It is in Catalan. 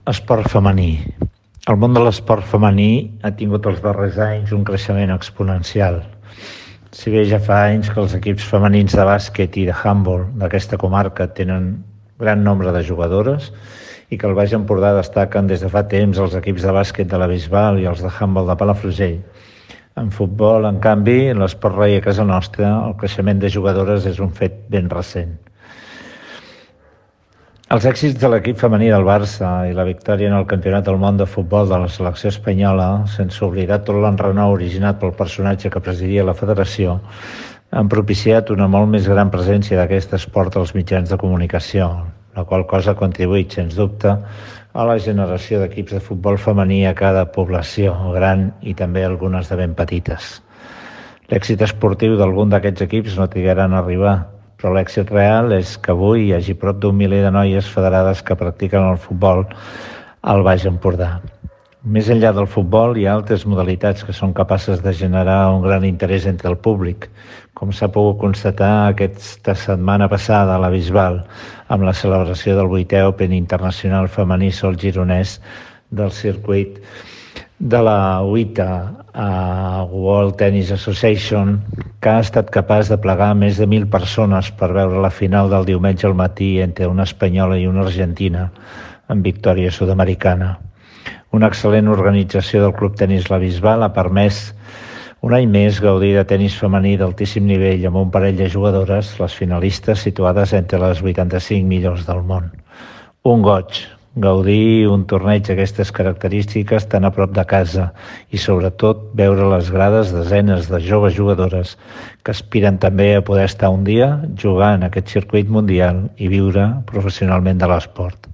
Esport femení. El món de l'esport femení ha tingut els darrers anys un creixement exponencial. Si bé ja fa anys que els equips femenins de bàsquet i de handbol d'aquesta comarca tenen gran nombre de jugadores i que al Baix Empordà destaquen des de fa temps els equips de bàsquet de la Bisbal i els de handbol de Palafrugell. En futbol, en canvi, en l'esport rei a casa nostra, el creixement de jugadores és un fet ben recent. Els èxits de l'equip femení del Barça i la victòria en el Campionat del Món de Futbol de la selecció espanyola, sense oblidar tot l'enrenou originat pel personatge que presidia la federació, han propiciat una molt més gran presència d'aquest esport als mitjans de comunicació, la qual cosa ha contribuït, sens dubte, a la generació d'equips de futbol femení a cada població, gran i també algunes de ben petites. L'èxit esportiu d'algun d'aquests equips no trigaran a arribar, però l'èxit real és que avui hi hagi prop d'1 miler de noies federades que practiquen el futbol al Baix Empordà. Més enllà del futbol, hi ha altres modalitats que són capaces de generar un gran interès entre el públic, com s'ha pogut constatar aquesta setmana passada a la Bisbal, amb la celebració del 8è Open Internacional Femení Sol Gironès del circuit de la UITA World Tennis Association, que ha estat capaç de plegar més de 1.000 persones per veure la final del diumenge al matí entre una espanyola i una argentina, en victòria sud-americana. Una excel·lent organització del Club Tenis La Bisbal ha permès un any més gaudir de tenis femení d'altíssim nivell amb un parell de jugadores, les finalistes situades entre les 85 millors del món. Un goig, gaudir un torneig d'aquestes característiques tan a prop de casa i sobretot veure les grades desenes de joves jugadores que aspiren també a poder estar un dia jugant en aquest circuit mundial i viure professionalment de l'esport.